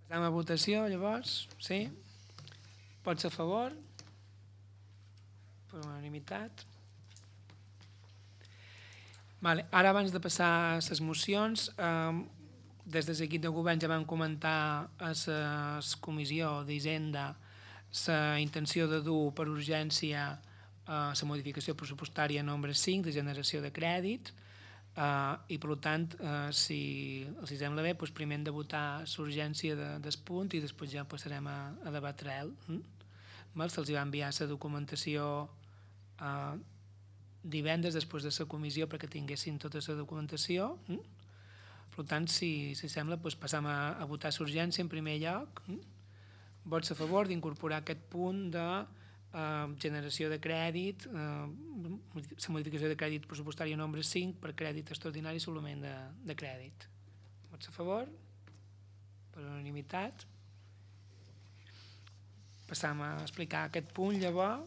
Passam a votació, llavors, sí? Pots a favor? Per unanimitat. Vale. Ara, abans de passar a les mocions, des de l'equip de govern ja vam comentar a la comissió d'Hisenda la intenció de dur per urgència la modificació pressupostària nombre 5 de generació de crèdit i, per tant, si els sembla bé, doncs primer hem de votar l'urgència del punt i després ja passarem a debatre'l. Se'ls va enviar la documentació divendres després de la comissió perquè tinguessin tota la documentació. Per tant, si sembla, doncs passam a votar l'urgència en primer lloc. Vots a favor d'incorporar aquest punt de generació de crèdit, la modificació de crèdit pressupostària nombre 5 per crèdit extraordinari i suplement de crèdit. Vots a favor? Per unanimitat. Passam a explicar aquest punt, llavors.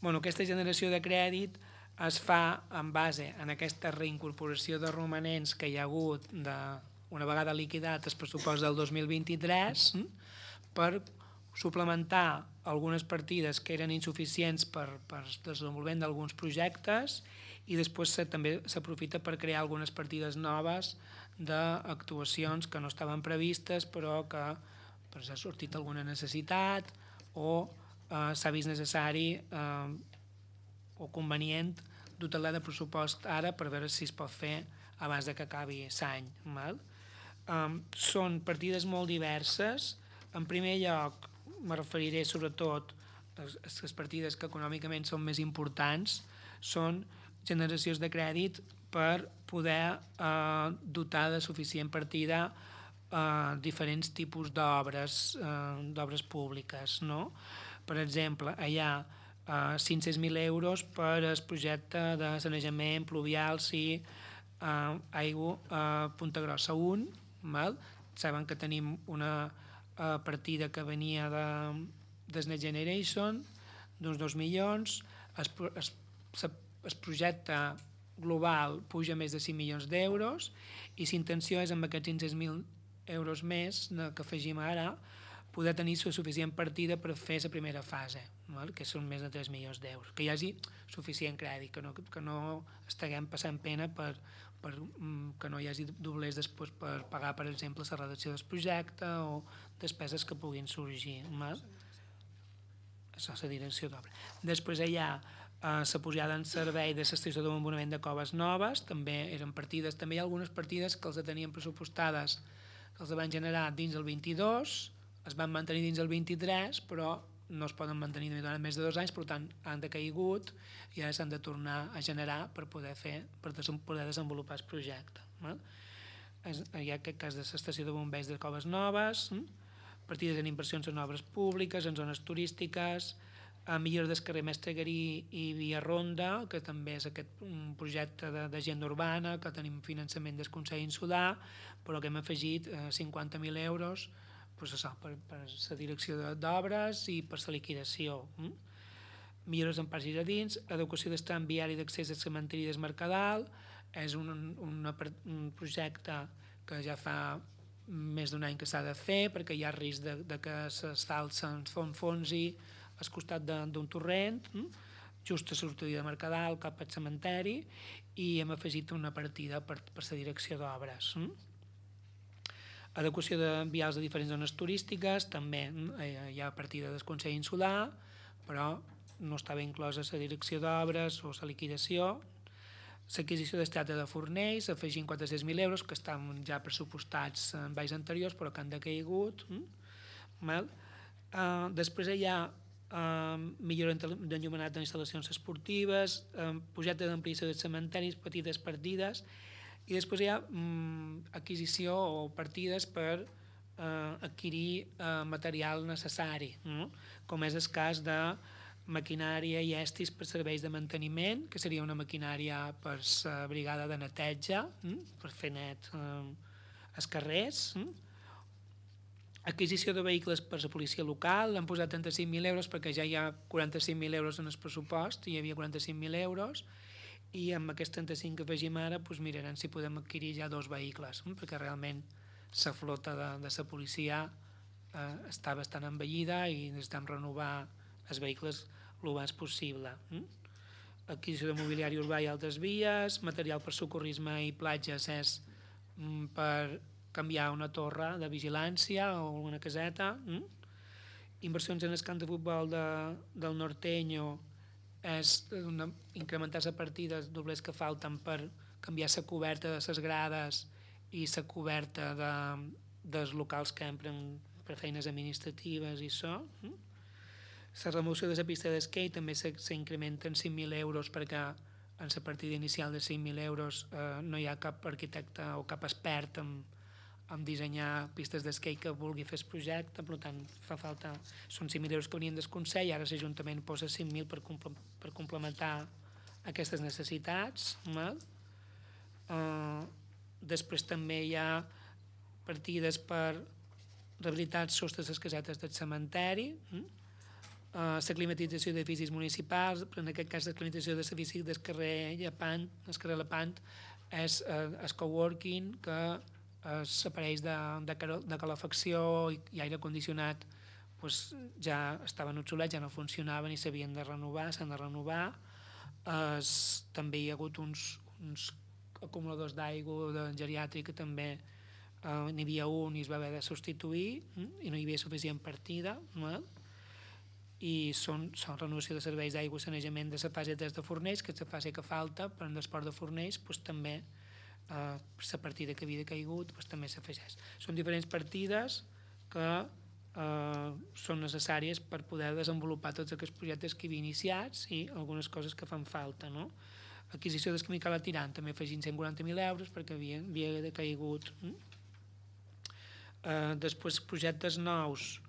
Aquesta generació de crèdit es fa en base en aquesta reincorporació de romanents que hi ha hagut una vegada liquidat el pressupost del 2023 per suplementar algunes partides que eren insuficients per desenvolupament d'alguns projectes i després també s'aprofita per crear algunes partides noves d'actuacions que no estaven previstes però que s'ha sortit alguna necessitat o s'ha vist necessari o convenient dotar-la de pressupost ara per veure si es pot fer abans que acabi l'any. Són partides molt diverses. En primer lloc, me referiré sobretot a les partides que econòmicament són més importants, són generacions de crèdit per poder dotar de suficient partida diferents tipus d'obres públiques. Per exemple, hi ha 500.000 euros per al projecte de sanejament pluvial i aigua a Punta Grossa 1. Saben que tenim una partida que venia de Next Generation d'uns 2 milions. El projecte global puja més de 5 milions d'euros i l'intenció és amb aquests 500.000 euros més que afegim ara poder tenir suficient partida per fer la primera fase, que són més de 3 milions d'euros, que hi hagi suficient crèdit, que no estiguem passant pena que no hi hagi doblers després per pagar, per exemple, la redacció del projecte o despeses que puguin sorgir. Això és la direcció d'obra. Després hi ha la posada en servei de l'estació de bombonament de Coves Noves, també eren partides, també hi ha algunes partides que els tenien pressupostades, que els van generar dins el 22, es van mantenir dins el 23, però no es poden mantenir durant més de 2 anys, per tant, han decaigut i ara s'han de tornar a generar per poder desenvolupar el projecte. Hi ha aquest cas de l'estació de bombers de Coves Noves, partides en inversions en obres públiques, en zones turístiques, millora del carrer Mestre Garí i Via Ronda, que també és aquest projecte d'agenda urbana, que tenim finançament del Consell Insular, però que hem afegit 50.000 euros per la direcció d'obres i per la liquidació. Millores en parcs giradins, adequació del tram viari d'accés al cementiri del Mercadal, és un projecte que ja fa més d'un any que s'ha de fer perquè hi ha risc de que l'asfalt s'enfonsi al costat d'un torrent, just a sortida de Mercadal cap al cementeri, i hem afegit una partida per la direcció d'obres. Adequació de vials de diferents zones turístiques, també hi ha partida del Consell Insular, però no estava inclosa la direcció d'obres o la liquidació. L'adquisició del teatre de Fornells, afegint 400.000 euros, que estan ja pressupostats en anys anteriors, però que han decaigut. Després hi ha millora d'enllumenat d'instal·lacions esportives, projecte d'ampliació dels cementaris, petites partides, i després hi ha adquisició o partides per adquirir material necessari, com és el cas de maquinària i estris per serveis de manteniment, que seria una maquinària per la brigada de neteja, per fer net els carrers. Adquisició de vehicles per la policia local, l'han posat 35.000 euros perquè ja hi ha 45.000 euros en el pressupost, hi havia 45.000 euros, i amb aquests 35 que afegim ara mirarem si podem adquirir ja 2 vehicles, perquè realment la flota de la policia està bastant envellida i necessitem renovar els vehicles el més possible. Adquisició de mobiliari urbà i altres vies, material per socorrisme i platges és per canviar una torre de vigilància o una caseta. Inversions en el camp de futbol del Norteño és incrementar la partida dels doblers que falten per canviar la coberta de les grades i la coberta dels locals que empren per feines administratives i això. La remoció de la pista d'esquí també s'incrementa en 5.000 euros perquè en la partida inicial de 5.000 euros no hi ha cap arquitecte o cap expert en dissenyar pistes d'esquí que vulgui fer el projecte, per tant fa falta, són 5.000 euros que venien del Consell, ara l'Ajuntament posa 5.000 per complementar aquestes necessitats. Després també hi ha partides per rehabilitar els sostres de les casetes del cementeri, la climatització d'edificis municipals, però en aquest cas la climatització de l'edifici del carrer Lepant és el coworking, que els aparells de calefacció i aire condicionat ja estaven obsolets, ja no funcionaven i s'havien de renovar, s'han de renovar. També hi ha hagut uns acumuladors d'aigua de geriàtrica, també n'hi havia un i es va haver de substituir i no hi havia suficient partida. I són renovació de serveis d'aigua i sanejament de la fase 3 de Fornells, que és la fase que falta, però en l'esport de Fornells també la partida que havia caigut també s'afegeix. Són diferents partides que són necessàries per poder desenvolupar tots aquests projectes que hi havia iniciats i algunes coses que fan falta. Adquisició d'esquimical a Tirant, també afegint 140.000 euros perquè havia caigut. Després projectes nous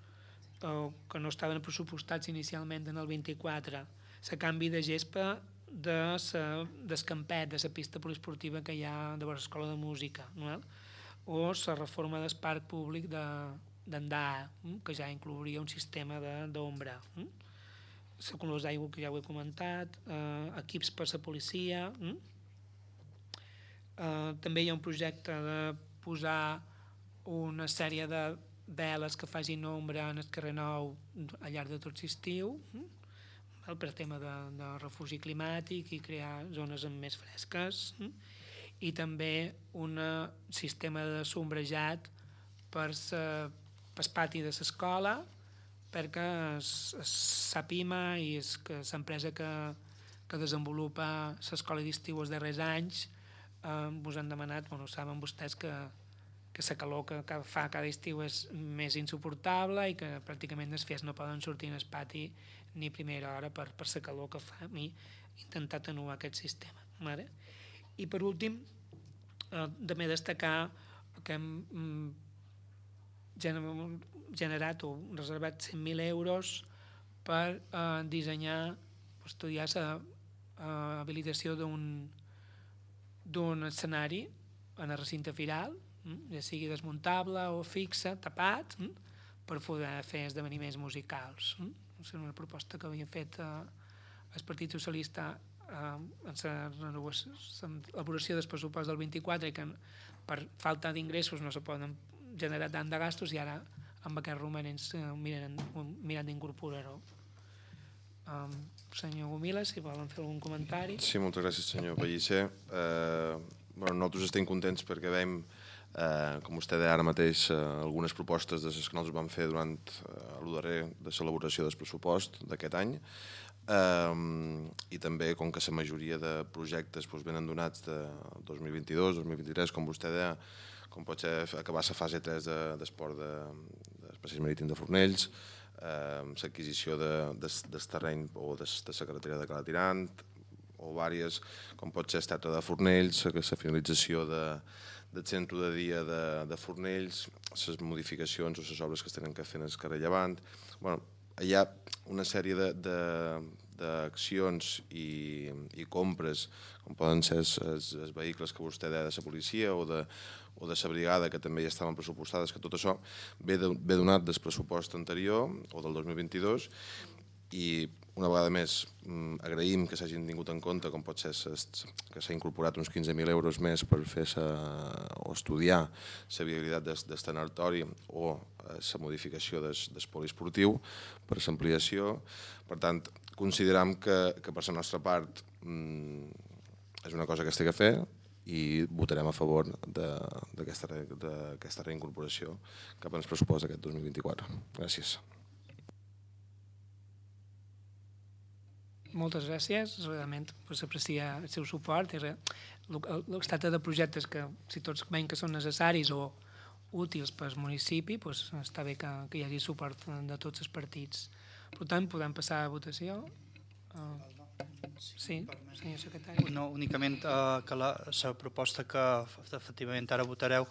que no estaven pressupostats inicialment en el 24, la canvi de gespa del campet, de la pista poliesportiva que hi ha de l'escola de música, o la reforma del parc públic d'Andà, que ja inclouria un sistema d'ombra. La colors d'aigua, que ja ho he comentat, equips per la policia. També hi ha un projecte de posar una sèrie de veles que facin ombra en el carrer Nou al llarg de tot l'estiu, per tema de refugi climàtic i crear zones més fresques, i també un sistema de sombrejat per el pati de l'escola, perquè SAPIMA i l'empresa que desenvolupa l'escola d'estiu els darrers anys us han demanat, saben vostès que la calor que fa cada estiu és més insuportable i que pràcticament els fills no poden sortir al pati ni a primera hora per la calor que fa, i intentar atenuar aquest sistema. I per últim, també destacar que hem generat o reservat 100.000 euros per dissenyar, estudiar l'habilitació d'un escenari en el recinte firal, ja sigui desmuntable o fixe, tapat, per poder fer esdeveniments musicals. És una proposta que havia fet el Partit Socialista en l'elaboració del pressupost del 24 i que per falta d'ingressos no se poden generar tant de gastos i ara amb aquests romanents mirant d'incorporar-ho. Senyor Gomila, si volen fer algun comentari. Sí, moltes gràcies, senyor Pellicer. Nosaltres estem contents perquè veiem, com vostè deia ara mateix, algunes propostes de les que nosaltres vam fer durant el darrer de l'elaboració del pressupost d'aquest any, i també com que la majoria de projectes venen donats de 2022, 2023, com vostè deia, com pot ser acabar la fase 3 d'esport d'espais marítims de Fornells, l'adquisició del terreny o de la carretera de Cala Tirant, o diverses, com pot ser el teatre de Fornells, la finalització del centre de dia de Fornells, les modificacions o les obres que es tenen que fer en el carrer Llevant. Hi ha una sèrie d'accions i compres, com poden ser els vehicles que vostè deia de la policia o de la brigada, que també ja estaven pressupostades, que tot això ve donat del pressupost anterior o del 2022, i una vegada més agraïm que s'hagin tingut en compte, com pot ser que s'ha incorporat uns 15.000 euros més per fer o estudiar la viabilitat del tanatori o la modificació del poliesportiu per l'ampliació. Per tant, consideram que per la nostra part és una cosa que es té que fer i votarem a favor d'aquesta reincorporació cap al pressupost d'aquest 2024. Gràcies. Moltes gràcies, realment s'aprecia el seu suport. Es tracta de projectes que, si tots veiem que són necessaris o útils per al municipi, està bé que hi hagi suport de tots els partits. Per tant, podem passar a votació. Sí, senyor secretari. No, únicament que la proposta que efectivament ara votareu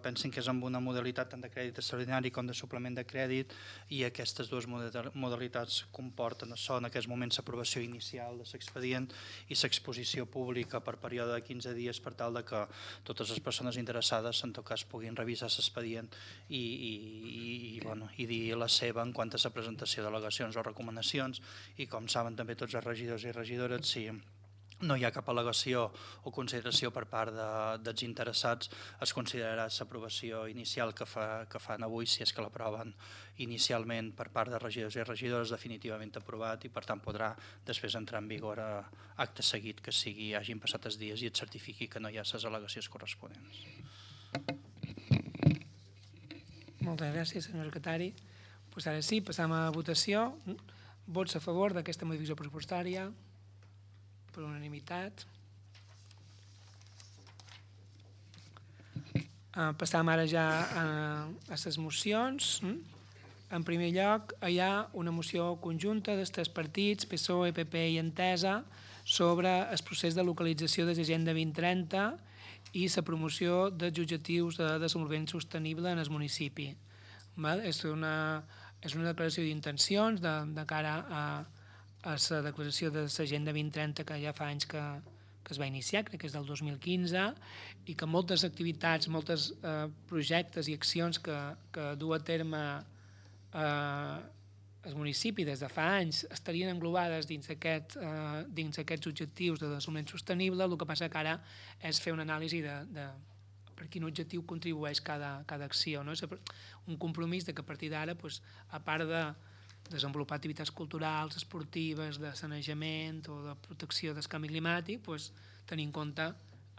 pensen que és amb una modalitat tant de crèdit extraordinari com de suplement de crèdit, i aquestes dues modalitats comporten això, en aquests moments l'aprovació inicial de l'expedient i l'exposició pública per període de 15 dies per tal que totes les persones interessades en tot cas puguin revisar l'expedient i dir la seva en quant a la presentació d'al·legacions o recomanacions. I com saben també tots els regidors i regidores, si no hi ha cap al·legació o consideració per part dels interessats, es considerarà l'aprovació inicial que fan avui, si és que l'aproven inicialment per part de regidors i regidores, definitivament aprovat, i per tant podrà després entrar en vigor acte seguit que hagin passat els dies i et certifiqui que no hi ha les al·legacions corresponents. Moltes gràcies, senyor secretari. Ara sí, passam a votació. Vots a favor d'aquesta modificació pressupostària? Per unanimitat. Passam ara ja a les mocions. En primer lloc, hi ha una moció conjunta dels tres partits, PSOE, PP i Entesa, sobre el procés de localització de l'Agenda 2030 i la promoció dels objectius de desenvolupament sostenible en el municipi. És una declaració d'intencions de cara a la declaració de l'Agenda 2030 que ja fa anys que es va iniciar, crec que és del 2015, i que moltes activitats, molts projectes i accions que du a terme el municipi des de fa anys estarien englobades dins aquests objectius de desenvolupament sostenible. El que passa que ara és fer una anàlisi de per quin objectiu contribueix cada acció. És un compromís que a partir d'ara, a part de desenvolupar activitats culturals, esportives, de sanejament o de protecció del canvi climàtic, tenir en compte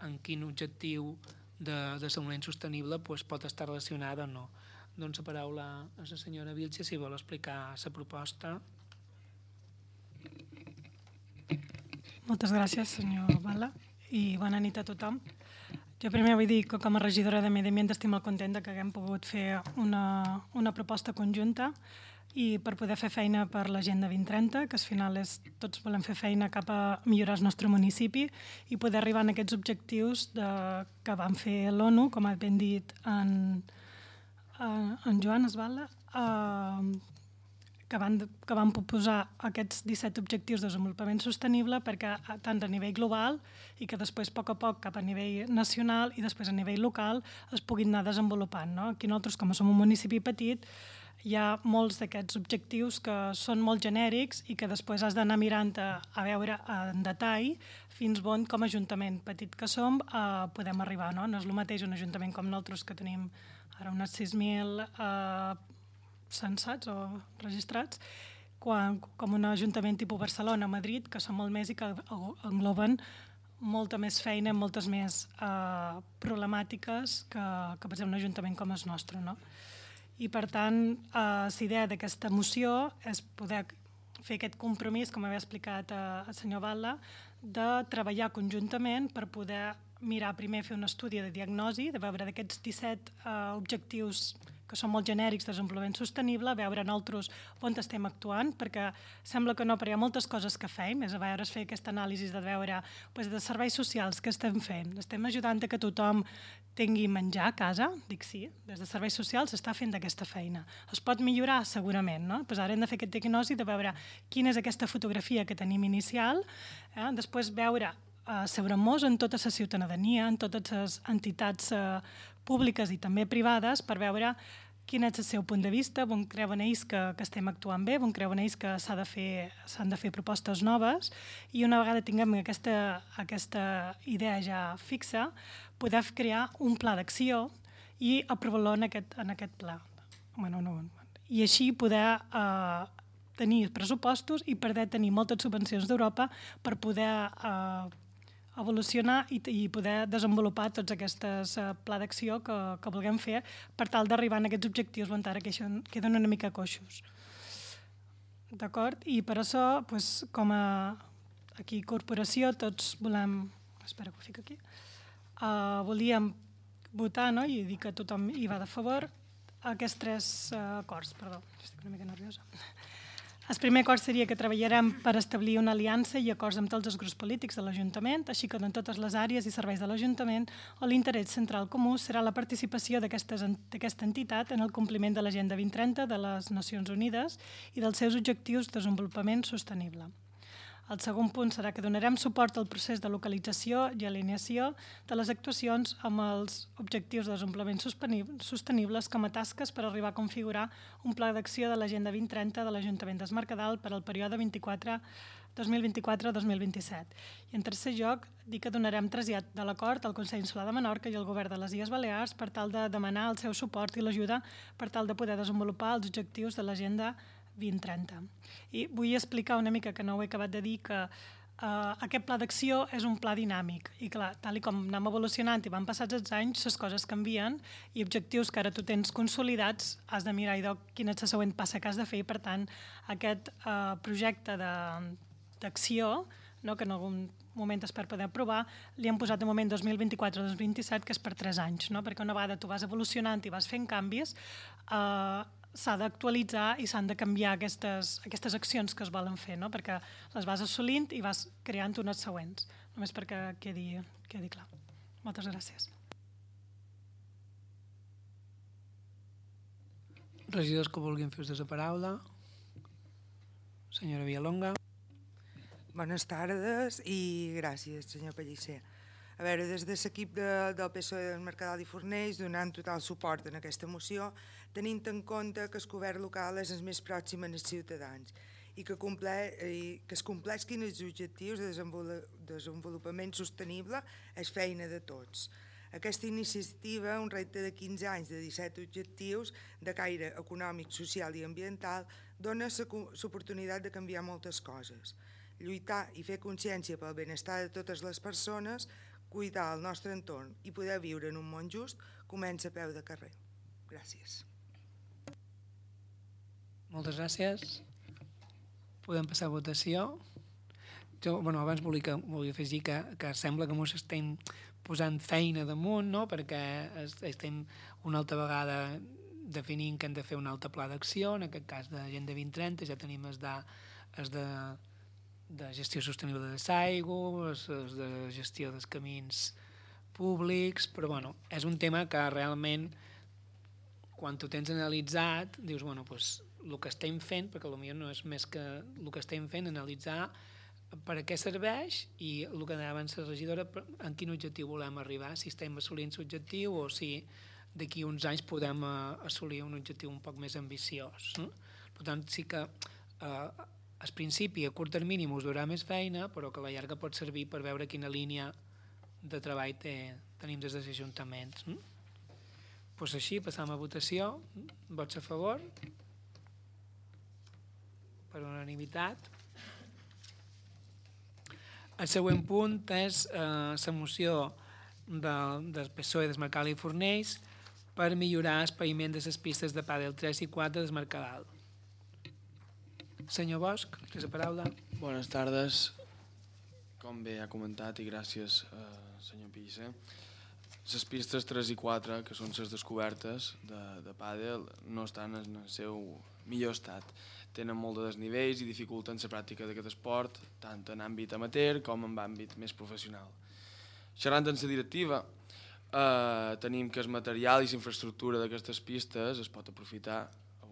en quin objectiu de desenvolupament sostenible pot estar relacionada o no. Doncs la paraula a la senyora Vilche, si vol explicar la proposta. Moltes gràcies, senyor Bala, i bona nit a tothom. Jo primer vull dir que com a regidora de Medi Ambient estic molt contenta que haguem pogut fer una proposta conjunta i per poder fer feina per l'Agenda 2030, que al final tots volem fer feina cap a millorar el nostre municipi i poder arribar a aquests objectius que van fer l'ONU, com ha ben dit en Joan Esbala, que van proposar aquests 17 objectius de desenvolupament sostenible perquè tant a nivell global i que després a poc cap a nivell nacional i després a nivell local es puguin anar desenvolupant. Aquí nosaltres, com som un municipi petit, hi ha molts d'aquests objectius que són molt genèrics i que després has d'anar mirant a veure en detall fins on, com a ajuntament petit que som, podem arribar. No és el mateix un ajuntament com nosaltres, que tenim ara unes 6.000 censats o registrats, com un ajuntament tipus Barcelona o Madrid, que són molt més i que engloben molta més feina, moltes més problemàtiques que per exemple un ajuntament com el nostre. I per tant, la idea d'aquesta moció és poder fer aquest compromís, com havia explicat el senyor Batlle, de treballar conjuntament per poder mirar primer, fer un estudi de diagnosi, de veure d'aquests 17 objectius que són molt genèrics de desenvolupament sostenible, veure nosaltres on estem actuant, perquè sembla que no, però hi ha moltes coses que fem, és a veure, fer aquesta anàlisi de veure de serveis socials que estem fent, estem ajudant a que tothom tingui menjar a casa, dic sí, des de serveis socials s'està fent aquesta feina. Es pot millorar segurament, no? Ara hem de fer aquest diagnosi de veure quina és aquesta fotografia que tenim inicial, després veure asseure-nos en tota la ciutadania, en totes les entitats públiques i també privades, per veure quin és el seu punt de vista, on creuen ells que estem actuant bé, on creuen ells que s'han de fer propostes noves, i una vegada tinguem aquesta idea ja fixa, poder crear un pla d'acció i aprovar-lo en aquest pla. I així poder tenir pressupostos i poder tenir moltes subvencions d'Europa per poder evolucionar i poder desenvolupar tots aquests pla d'acció que vulguem fer per tal d'arribar a aquests objectius on ara queden una mica coixos. D'acord? I per això, com a corporació, tots volem... Espera que ho fico aquí. Volíem votar, no? I dir que tothom hi va de favor, aquests 3 acords. Perdó, estic una mica nerviosa. El primer acord seria que treballarem per establir una aliança i acords amb tots els grups polítics de l'Ajuntament, així com en totes les àrees i serveis de l'Ajuntament, on l'interès central comú serà la participació d'aquesta entitat en el compliment de l'Agenda 2030 de les Nacions Unides i dels seus objectius de desenvolupament sostenible. El segon punt serà que donarem suport al procés de localització i alineació de les actuacions amb els objectius de desenvolupament sostenibles com a tasques per arribar a configurar un pla d'acció de l'Agenda 2030 de l'Ajuntament d'Es Mercadal per al període 2024-2027. I en tercer lloc, dir que donarem trasllat de l'acord al Consell Insular de Menorca i al Govern de les Illes Balears per tal de demanar el seu suport i l'ajuda per tal de poder desenvolupar els objectius de l'Agenda 2030. I vull explicar una mica, que no ho he acabat de dir, que aquest pla d'acció és un pla dinàmic i clar, tal com anem evolucionant i van passats els anys, les coses canvien i objectius que ara tu tens consolidats has de mirar quina és la següent passa que has de fer i per tant aquest projecte d'acció, que en algun moment es per poder aprovar, li han posat de moment 2024-2027, que és per 3 anys, perquè una vegada tu vas evolucionant i vas fent canvis, s'ha d'actualitzar i s'han de canviar aquestes accions que es volen fer, perquè les vas assolint i vas creant unes següents. Només perquè quedi clar. Moltes gràcies. Regidors que vulguin fer ús de la paraula. Senyora Villalonga. Bones tardes i gràcies, senyor Pellicer. A veure, des de l'equip del PSOE del Mercadal i Fornells donant total suport en aquesta moció, tenint en compte que el govern local és el més pròxim als ciutadans i que es compleixin els objectius de desenvolupament sostenible és feina de tots. Aquesta iniciativa, un repte de 15 anys de 17 objectius de caire econòmic, social i ambiental, dona l'oportunitat de canviar moltes coses. Lluitar i fer consciència pel benestar de totes les persones, cuidar el nostre entorn i poder viure en un món just comença a peu de carrer. Gràcies. Moltes gràcies. Podem passar a votació. Jo, abans volia afegir que sembla que ens estem posant feina damunt, perquè estem una altra vegada definint que hem de fer un altre pla d'acció, en aquest cas d'Agenda 2030, ja tenim els de gestió sostenible de l'aigua, de gestió dels camins públics, però és un tema que realment, quan tu tens analitzat, dius, el que estem fent, perquè potser no és més que el que estem fent, analitzar per a què serveix i el que deia abans la regidora, en quin objectiu volem arribar, si estem assolint l'objectiu o si d'aquí uns anys podem assolir un objectiu un poc més ambiciós. Per tant, sí que al principi, a curt termini, us durà més feina, però que a la llarga pot servir per veure quina línia de treball tenim des dels ajuntaments. Doncs així, passam a votació. Vots a favor? Per unanimitat. El següent punt és la moció del PSOE del Mercadal i Fornells per millorar el paviment de les pistes de pàdel 3 i 4 del Mercadal. Senyor Bosch, té la paraula. Bones tardes. Com bé ha comentat, i gràcies, senyor Pellicer, les pistes 3 i 4, que són les descobertes de pàdel, no estan en el seu millor estat. Tenen molt de desnivells i dificulten la pràctica d'aquest esport, tant en àmbit amateur com en àmbit més professional. Xerrant en la directiva, tenim que el material i la infraestructura d'aquestes pistes es pot aprofitar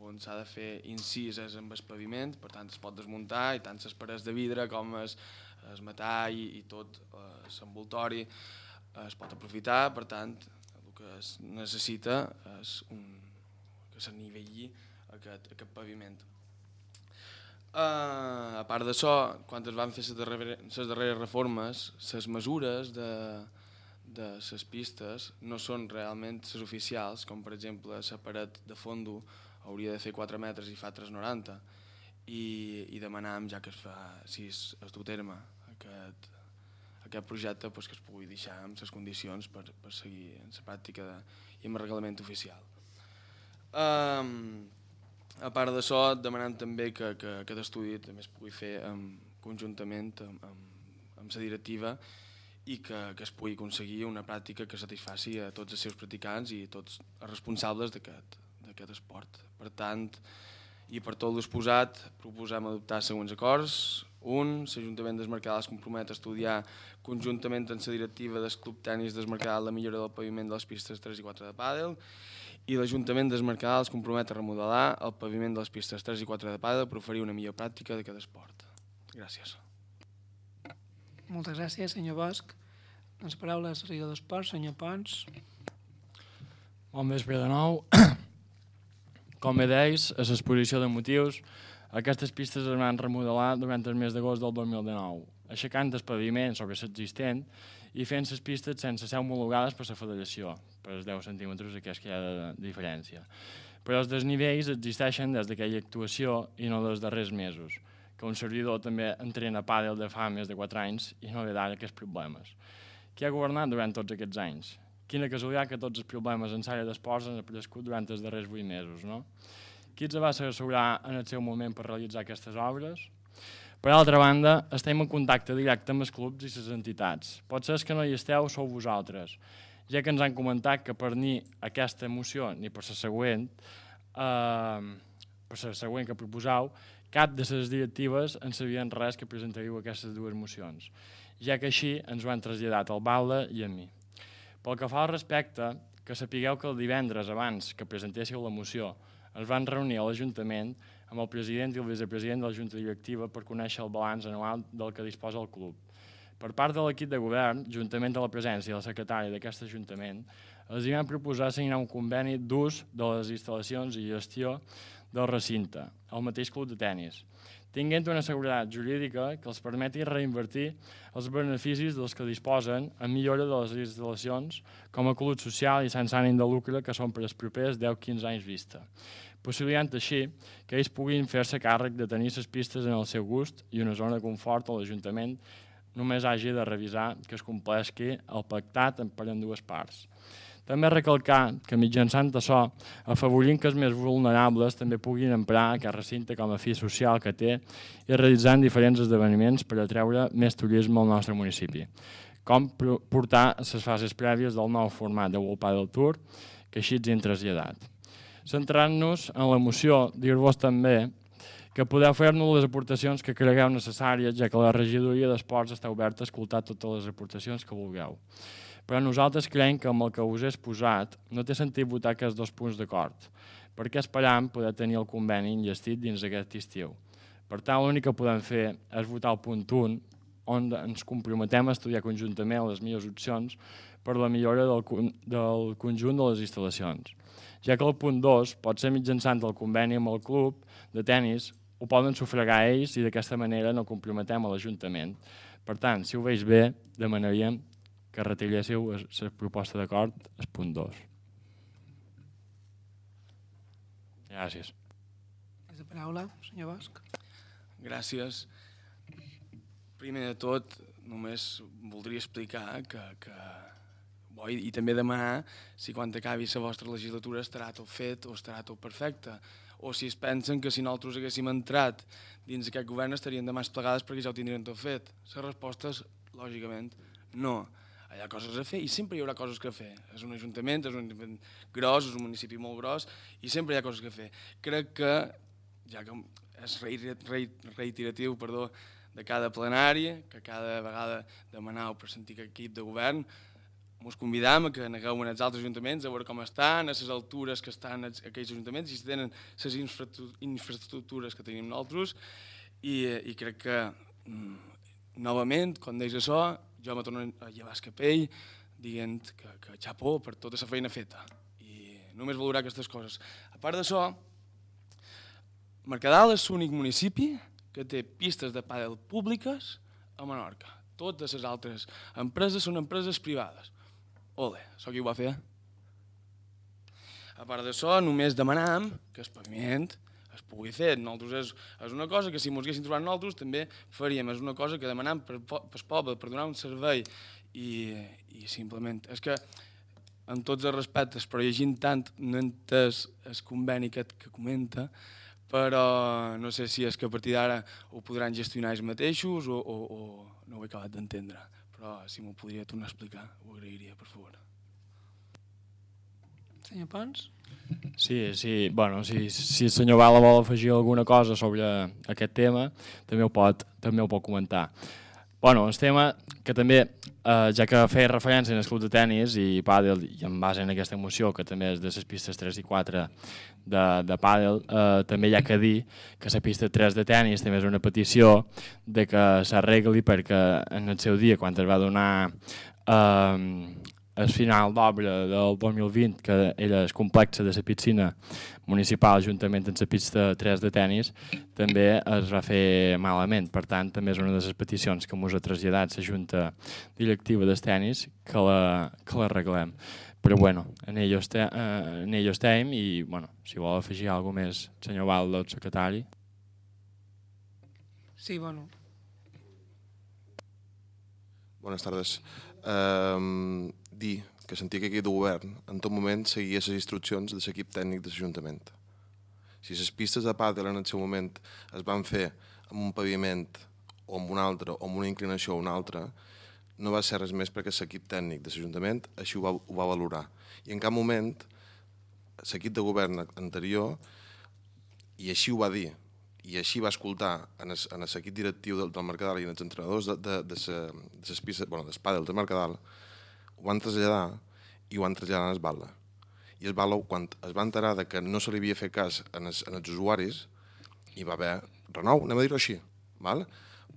on s'ha de fer incises amb el paviment, per tant es pot desmuntar i tant les parets de vidre com el metall i tot l'envoltori es pot aprofitar, per tant el que es necessita és que s'anivelli aquest paviment. A part d'això, quan es van fer les darreres reformes, les mesures de les pistes no són realment les oficials, com per exemple la paret de fondo hauria de fer 4 metres i fa 3,90, i demanàvem, ja que es du a terme aquest projecte, que es pugui deixar amb les condicions per seguir en la pràctica i amb el reglament oficial. A part d'això, demanem també que aquest estudi també es pugui fer conjuntament amb la directiva i que es pugui aconseguir una pràctica que satisfaci a tots els seus practicants i tots els responsables d'aquest esport. Per tant, i per tot l'exposat, proposem adoptar els següents acords. 1. L'Ajuntament del Mercadal es compromet a estudiar conjuntament amb la directiva del Club Tenis del Mercadal la millora del paviment de les pistes 3 i 4 de pàdel, i l'Ajuntament del Mercadal es compromet a remodelar el paviment de les pistes 3 i 4 de pàdel per oferir una millor pràctica d'aquest esport. Gràcies. Moltes gràcies, senyor Bosch. Les paraules al regidor d'Esports, senyor Pons. Bon vespre de nou. Com bé deis, a l'exposició de motius, aquestes pistes es van remodelar durant el mes d'agost del 2019, aixecant el paviment sobre l'existent i fent les pistes sense ser homologades per la federació, per els 10 centímetres aquests que hi ha de diferència. Però els desnivells existeixen des d'aquella actuació i no dels darrers mesos, que un servidor també entrena pàdel de fa més de 4 anys i no ve d'ara aquests problemes. Qui ha governat durant tots aquests anys? Quina casualitat que tots els problemes en l'àrea d'esports han aparegut durant els darrers 8 mesos, no? Qui els va assegurar en el seu moment per realitzar aquestes obres? Per altra banda, estem en contacte directe amb els clubs i les entitats. Potser que no hi esteu sou vosaltres, ja que ens han comentat que per ni aquesta moció ni per la següent que proposau, cap de les directives en sabien res que presentaríeu aquestes dues mocions, ja que així ens ho han traslladat al Balda i a mi. Pel que fa al respecte, que sapigueu que el divendres abans que presentéssiu la moció ens van reunir a l'Ajuntament amb el president i el vicepresident de la Junta Directiva per conèixer el balanç anual del que disposa el club. Per part de l'equip de govern, juntament amb la presència del secretari d'aquest Ajuntament, els hi van proposar signar un conveni d'ús de les instal·lacions i gestió del recinte, el mateix club de tenis, tinguent una seguretat jurídica que els permeti reinvertir els beneficis dels que disposen en millora de les instal·lacions com a club social i sense ànim de lucre que són per als propers 10-15 anys vista, possibilitant així que ells puguin fer-se càrrec de tenir les pistes en el seu gust i una zona de confort on l'Ajuntament només hagi de revisar que es compleixi el pactat per ambdues parts. També recalcar que mitjançant això afavorint que els més vulnerables també puguin emprar aquest recinte com a fi social que té i realitzant diferents esdeveniments per atreure més turisme al nostre municipi, com portar les fases prèvies del nou format de World Padel Tour, que així ens hem traslladat. Centrant-nos en la moció, dir-vos també que podeu fer-nos les aportacions que cregueu necessàries, ja que la regidoria d'esports està oberta a escoltar totes les aportacions que vulgueu. Però nosaltres creiem que amb el que us he exposat no té sentit votar aquests 2 punts d'acord, perquè esperam poder tenir el conveni enllestit dins d'aquest estiu. Per tant, l'únic que podem fer és votar el punt 1, on ens comprometem a estudiar conjuntament les millors opcions per la millora del conjunt de les instal·lacions, ja que el punt 2 pot ser mitjançant el conveni amb el club de tenis, ho poden sufragar ells i d'aquesta manera no comprometem a l'Ajuntament. Per tant, si ho veig bé, demanaríem que retiréssiu la proposta d'acord al punt 2. Gràcies. És la paraula, senyor Bosch. Gràcies. Primer de tot, només voldria explicar i també demanar si quan acabi la vostra legislatura estarà tot fet o estarà tot perfecte, o si es pensen que si nosaltres haguéssim entrat dins aquest govern estarien de mans plegades perquè ja ho tindrien tot fet. La resposta és, lògicament, no. Hi ha coses a fer i sempre hi haurà coses a fer. És un ajuntament gros, és un municipi molt gros i sempre hi ha coses a fer. Crec que, ja que és reiteratiu de cada plenari, que cada vegada demanau per sentir aquest equip de govern, ens convidam a que anegueu en els altres ajuntaments a veure com estan, a les altures que estan aquells ajuntaments i si tenen les infraestructures que tenim nosaltres i crec que, novament, quan deix això, jo me torno a llevar el capell dient que xapó per tota la feina feta. I només valorar aquestes coses. A part d'això, Mercadal és l'únic municipi que té pistes de pàdel públiques a Menorca. Totes les altres empreses són empreses privades. Ole, això qui ho va fer? A part d'això, només demanam que el paviment es pugui fer. Nosaltres és una cosa que si ens haguéssim trobat nosaltres també faríem. És una cosa que demanam pel poble, per donar un servei i simplement... És que, amb tots els respectes, però llegint tant no he entès el conveni que comenta, però no sé si és que a partir d'ara ho podran gestionar ells mateixos o no ho he acabat d'entendre. Però si m'ho podria tornar a explicar, ho agrairia, per favor. Senyor Pons? Sí. Bueno, si el senyor Bala vol afegir alguna cosa sobre aquest tema, també ho pot comentar. Bueno, el tema que també, ja que feia referència en el club de tenis i pàdel, i en base en aquesta moció, que també és de les pistes 3 i 4 de pàdel, també hi ha que dir que la pista 3 de tenis també és una petició de que s'arregli perquè en el seu dia, quan es va donar el final d'obra del 2020, que era el complex de la piscina municipal juntament amb la pista 3 de tenis, també es va fer malament. Per tant, també és una de les peticions que ens ha traslladat la Junta Directiva del Tenis que l'arreglem. Però bueno, en ello estem i bueno, si vol afegir alguna cosa més, senyor Baldo, el secretari. Sí, bueno. Bones tardes. Dir que l'antic equip de govern en tot moment seguia les instruccions de l'equip tècnic de l'Ajuntament. Si les pistes de pàdel en el seu moment es van fer amb un paviment o amb un altre, o amb una inclinació o una altra, no va ser res més perquè l'equip tècnic de l'Ajuntament així ho va valorar. I en cap moment l'equip de govern anterior, i així ho va dir, i així va escoltar en l'equip directiu del Mercadal i en els entrenadors del pàdel del Mercadal, ho van traslladar i ho van traslladar a Esbala. I Esbala, quan es va enterar que no se li havia fet cas als usuaris, hi va haver renou, anem a dir-ho així.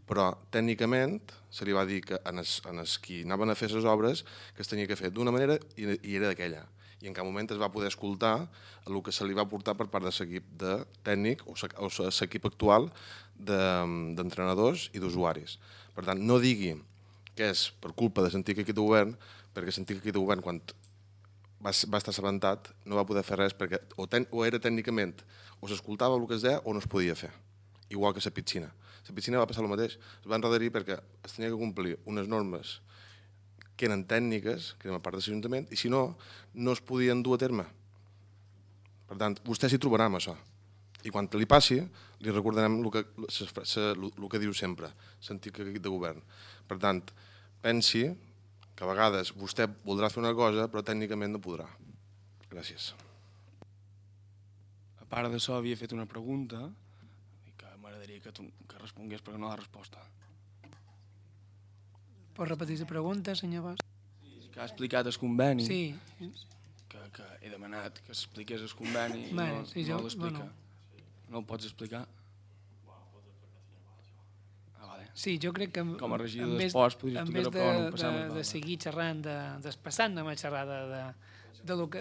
Però tècnicament se li va dir que en els qui anaven a fer les obres que es tenia que fer d'una manera i era d'aquella. I en cap moment es va poder escoltar el que se li va portar per part de l'equip tècnic o l'equip actual d'entrenadors i d'usuaris. Per tant, no digui que és per culpa de l'antic equip de govern, perquè l'antic equip de govern, quan va estar assabentat, no va poder fer res perquè o era tècnicament, o s'escoltava el que es deia o no es podia fer. Igual que la piscina. La piscina va passar el mateix. Es va endarrerir perquè es tenia que complir unes normes que eren tècniques, que eren a part de l'Ajuntament, i si no, no es podien dur a terme. Per tant, vostè s'hi trobarà amb això. I quan li passi, li recordarem el que diu sempre, l'antic equip de govern. Per tant, pensi que a vegades vostè voldrà fer una cosa, però tècnicament no podrà. Gràcies. A part d'això, havia fet una pregunta i que m'agradaria que respongués perquè no la resposta. Pot repetir la pregunta, senyor Bosch? Que ha explicat el conveni. Sí. Que he demanat que expliqués el conveni i no l'explica. No el pots explicar? Sí, jo crec que com a regidor d'esports podries explicar-ho, però no passem de seguir xerrant passant, anem a xerrar de lo que...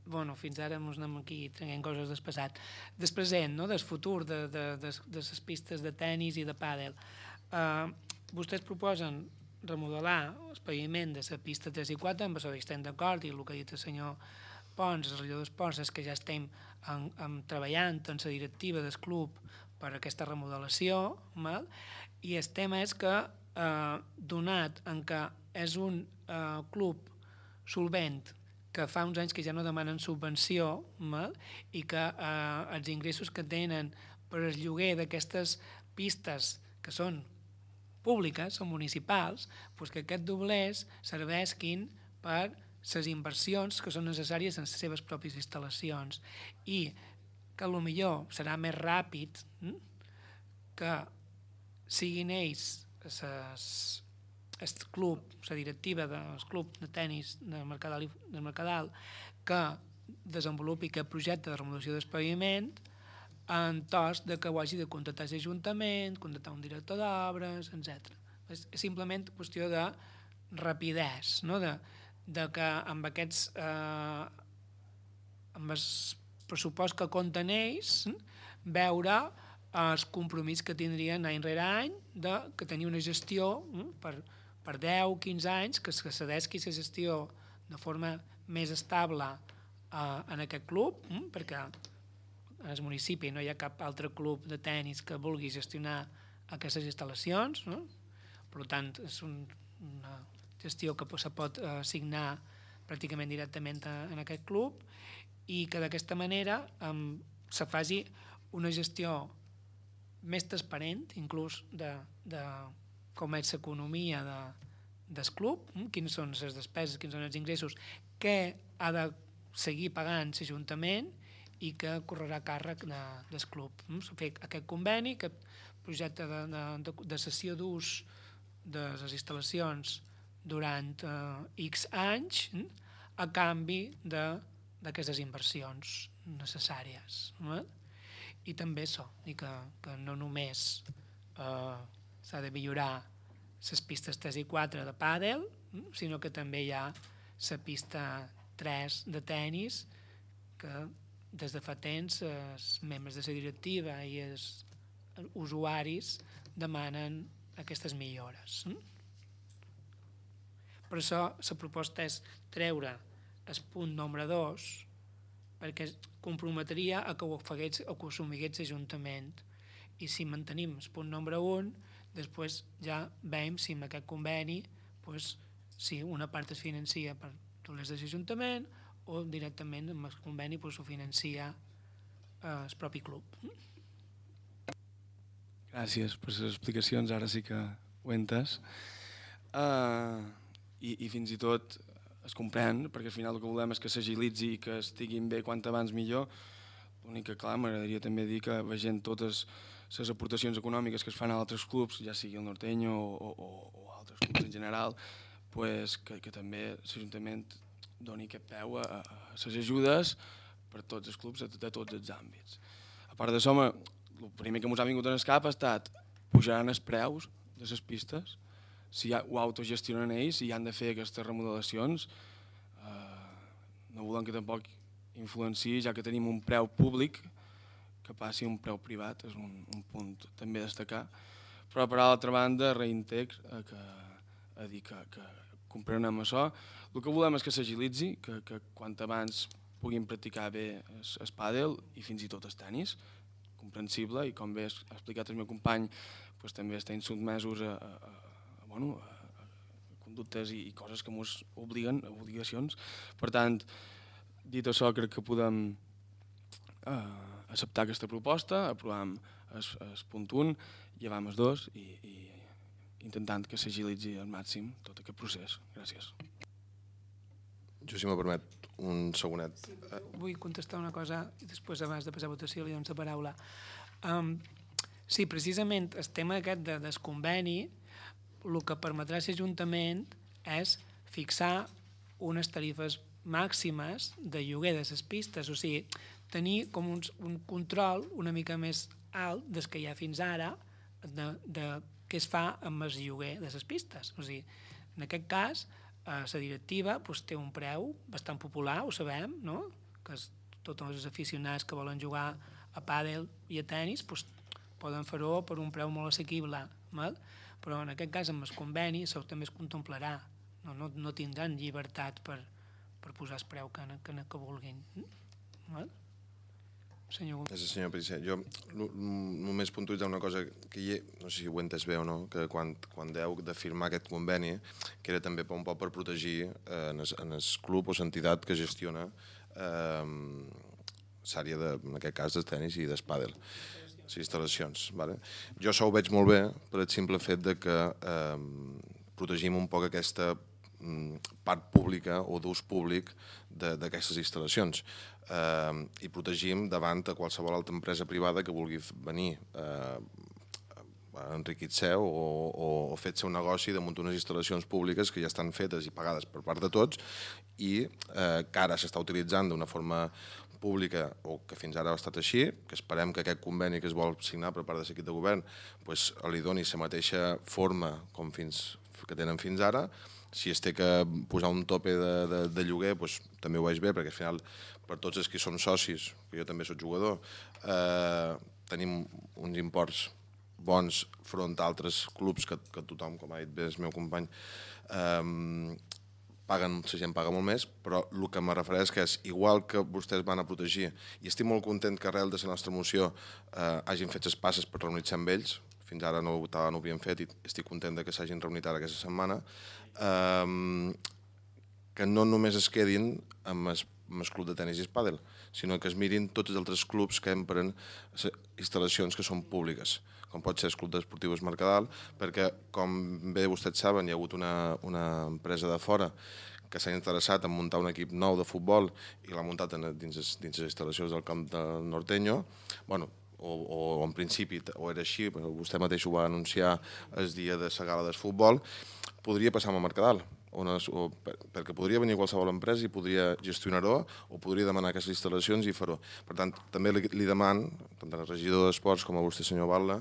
Bueno, fins ara ens anem aquí traient coses del passat. Del present, del futur de les pistes de tenis i de pàdel. Vostès proposen remodelar el paviment de la pista 3 i 4, amb això estem d'acord, i el que ha dit el senyor Pons, el regidor d'esports, és que ja estem treballant en la directiva del club per aquesta remodelació, i el tema és que, donat en que és un club solvent que fa uns anys que ja no demanen subvenció i que els ingressos que tenen per el lloguer d'aquestes pistes que són públiques, són municipals, que aquests doblers serveixin per les inversions que són necessàries en les seves pròpies instal·lacions i que potser serà més ràpid que siguin ells el club, la directiva del club de tenis del Mercadal que desenvolupi aquest projecte de remodelació del paviment en tos que ho hagi de contractar l'Ajuntament, contractar un director d'obres, etc. És simplement qüestió de rapidesa, de que amb aquests amb el pressupost que conteneix, veure el compromís que tindrien any rere any que tenir una gestió per 10-15 anys, que s'adesqui la gestió de forma més estable en aquest club, perquè al municipi no hi ha cap altre club de tennis que vulgui gestionar aquestes instal·lacions, no? Per tant, és una gestió que se pot assignar pràcticament directament en aquest club i que d'aquesta manera se faci una gestió més transparent, inclús de com és l'economia del club, quines són les despeses, quins són els ingressos, què ha de seguir pagant l'Ajuntament i que correrà a càrrec del club. Fer aquest conveni, aquest projecte de cessió d'ús de les instal·lacions durant X anys a canvi d'aquestes inversions necessàries. I també això, que no només s'ha de millorar les pistes 3 i 4 de pàdel, sinó que també hi ha la pista 3 de tennis que des de fa temps els membres de la directiva i els usuaris demanen aquestes millores. Per això la proposta és treure el punt número 2 perquè comprometria a que ho assumigués l'Ajuntament i si mantenim el punt número 1 després ja veiem si amb aquest conveni si una part es financia per les de l'Ajuntament o directament amb el conveni ho financia el propi club. Gràcies per les explicacions, ara sí que ho he entès. I fins i tot es comprèn, perquè al final el que volem és que s'agilitzi i que estiguin bé quant abans millor. L'únic que, clar, m'agradaria també dir que veient totes les aportacions econòmiques que es fan a altres clubs, ja sigui el Norteño o altres clubs en general, que també l'Ajuntament doni aquest peu a les ajudes per tots els clubs de tots els àmbits. A part d'això, el primer que ens ha vingut en el cap ha estat pujaran els preus de les pistes, si ho autogestionen ells, si han de fer aquestes remodelacions, no volem que tampoc influenciï, ja que tenim un preu públic, que passi un preu privat, és un punt també a destacar. Però per altra banda, reintex a dir que comprenem això. El que volem és que s'agilitzi, que quant abans puguin practicar bé el pàdel i fins i tot el tenis, comprensible, i com bé ha explicat el meu company, també estem sotmesos a conductes i coses que ens obliguen, obligacions. Per tant, dit això, crec que podem acceptar aquesta proposta, aprovam el punt 1, llevam el 2 i intentant que s'agilitzi al màxim tot aquest procés. Gràcies. Jo, si m'ho permet, un segonet. Sí, vull contestar una cosa i després, abans de passar a votació, li dono la paraula. Sí, precisament el tema aquest del conveni, el que permetrà l'Ajuntament és fixar unes tarifes màximes de lloguer de les pistes, o sigui, tenir com un control una mica més alt des que hi ha fins ara de què es fa amb el lloguer de les pistes. O sigui, en aquest cas, la directiva té un preu bastant popular, ho sabem, no? Que tots els aficionats que volen jugar a pàdel i a tenis poden fer-ho per un preu molt assequible, però en aquest cas amb el conveni això també es contemplarà, no tindran llibertat per posar el preu que vulguin. Senyor Pellicer, jo només puntualitzar una cosa que no sé si ho he entès bé o no, que quan deu de firmar aquest conveni, que era també un poc per protegir en el club o l'entitat que gestiona l'àrea, en aquest cas, del tenis i del pàdel, les instal·lacions. Jo això ho veig molt bé per el simple fet que protegim un poc aquesta part pública o d'ús públic d'aquestes instal·lacions i protegim davant a qualsevol altra empresa privada que vulgui venir a enriquir-se o fer-se un negoci damunt unes instal·lacions públiques que ja estan fetes i pagades per part de tots i que ara s'està utilitzant d'una forma pública o que fins ara ha estat així, que esperem que aquest conveni que es vol signar per part de l'equip de govern li doni la mateixa forma com fins que tenen fins ara. Si es té que posar un tope de lloguer, doncs, també ho veig bé, perquè al final, per tots els que som socis, que jo també soc jugador, tenim uns imports bons front a altres clubs que tothom, com ha dit bé el meu company, la gent paga molt més, però el que me refereix que és, igual que vostès van a protegir, i estic molt content que arrel de la nostra moció hagin fet les passes per reunir-se amb ells, fins ara no ho havien fet i estic content que s'hagin reunit ara aquesta setmana, que no només es quedin amb el club de tenis i el pàdel, sinó que es mirin tots els altres clubs que empren instal·lacions que són públiques, com pot ser el Club d'Esportius Mercadal, perquè, com bé vostès saben, hi ha hagut una empresa de fora que s'ha interessat en muntar un equip nou de futbol i l'ha muntat dins les instal·lacions del camp del Norteño, o en principi o era així, però vostè mateix ho va anunciar el dia de la gala del futbol, podria passar amb el Mercadal, perquè podria venir qualsevol empresa i podria gestionar-ho o podria demanar aquestes instal·lacions i fer-ho. Per tant, també li demano, tant al regidor d'Esports com a vostè, senyor Batlle,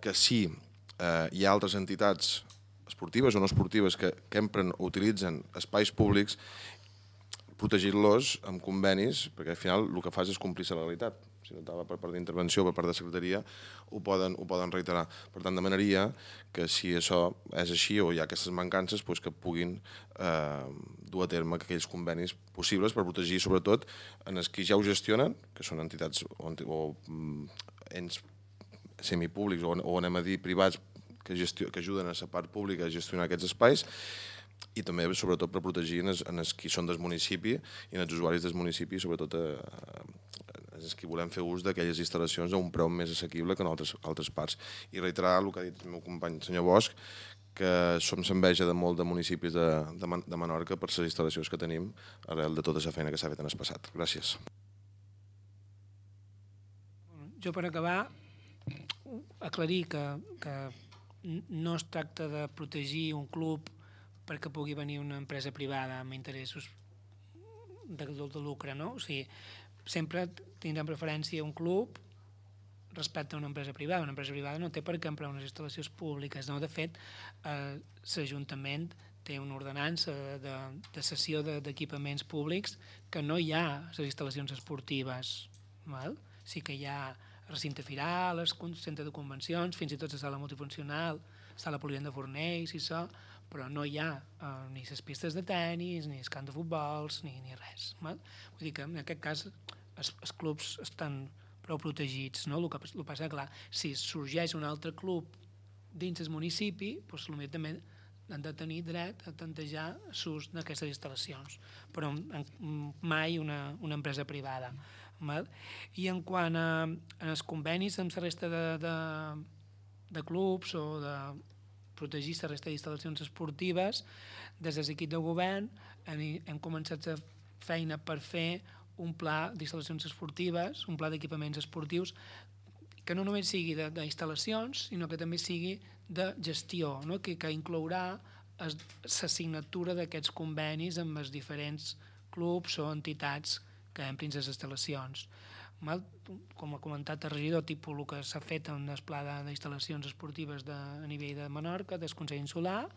que si hi ha altres entitats esportives o no esportives que empren o utilitzen espais públics, protegir-los amb convenis, perquè al final el que fas és complir la legalitat. Si no estava per part d'intervenció, per part de secretaria, ho poden reiterar. Per tant, demanaria que si això és així o hi ha aquestes mancances, que puguin dur a terme aquells convenis possibles per protegir, sobretot, en els que ja ho gestionen, que són entitats o ens semipúblics o anem a dir privats que ajuden a la part pública a gestionar aquests espais, i també, sobretot, per protegir els que són del municipi i els usuaris del municipi, sobretot els que volem fer ús d'aquelles instal·lacions a un preu més assequible que en altres parts. I reiterar el que ha dit el meu company, el senyor Bosch, que som s'enveja de molt de municipis de Menorca per les instal·lacions que tenim arrel de tota la feina que s'ha fet en el passat. Gràcies. Jo, per acabar, aclarir que no es tracta de protegir un club perquè pugui venir una empresa privada amb interessos de lucre, no? O sigui, sempre tindrem preferència un club respecte a una empresa privada. Una empresa privada no té per què emprar unes instal·lacions públiques, no? De fet, l'Ajuntament té una ordenança de cessió d'equipaments públics que no hi ha a les instal·lacions esportives. Val? Sí que hi ha recinte firal, centre de convencions, fins i tot la sala multifuncional, sala polivalent de Fornells i això, però no hi ha ni les pistes de tennis, ni els camps de futbols, ni res. Val? Vull dir que en aquest cas els clubs estan prou protegits. No? El que passa és, clar, si sorgeix un altre club dins el municipi, doncs potser també han de tenir dret a tantejar l'ús d'aquestes instal·lacions, però mai una empresa privada. Val? I en quant als convenis amb la resta de clubs o de protegir la resta d'instal·lacions esportives, des de l'equip de govern hem començat la feina per fer un pla d'instal·lacions esportives, un pla d'equipaments esportius que no només sigui d'instal·lacions, sinó que també sigui de gestió, no? que inclourà la signatura d'aquests convenis amb els diferents clubs o entitats que emprin les instal·lacions. Com ha comentat el regidor, tipus el que s'ha fet en el pla d'instal·lacions esportives a nivell de Menorca, del Consell Insular,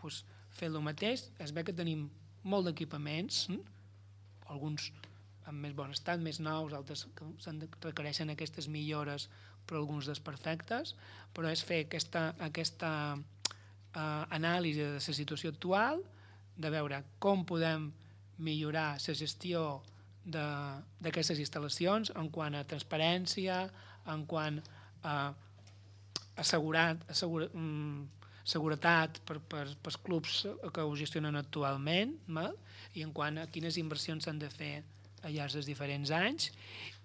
doncs fer el mateix. Es ve que tenim molt d'equipaments, alguns en més bon estat, més nous, altres que requereixen aquestes millores, però alguns desperfectes, però és fer aquesta anàlisi de la situació actual, de veure com podem millorar la gestió d'aquestes instal·lacions en quant a transparència, en quant a seguretat pels clubs que ho gestionen actualment, i en quant a quines inversions s'han de fer al llarg dels diferents anys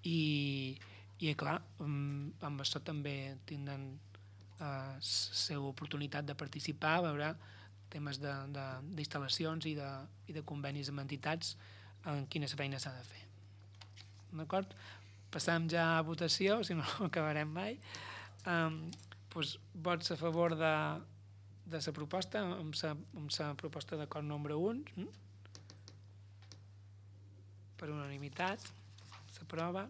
i clar, amb això també tindran la seva oportunitat de participar, veure temes d'instal·lacions i de convenis amb entitats en quina feina s'ha de fer. D'acord? Passam ja a votació, si no acabarem mai. Vots a favor de la proposta, amb la proposta d'acord número 1. Per unanimitat, s'aprova.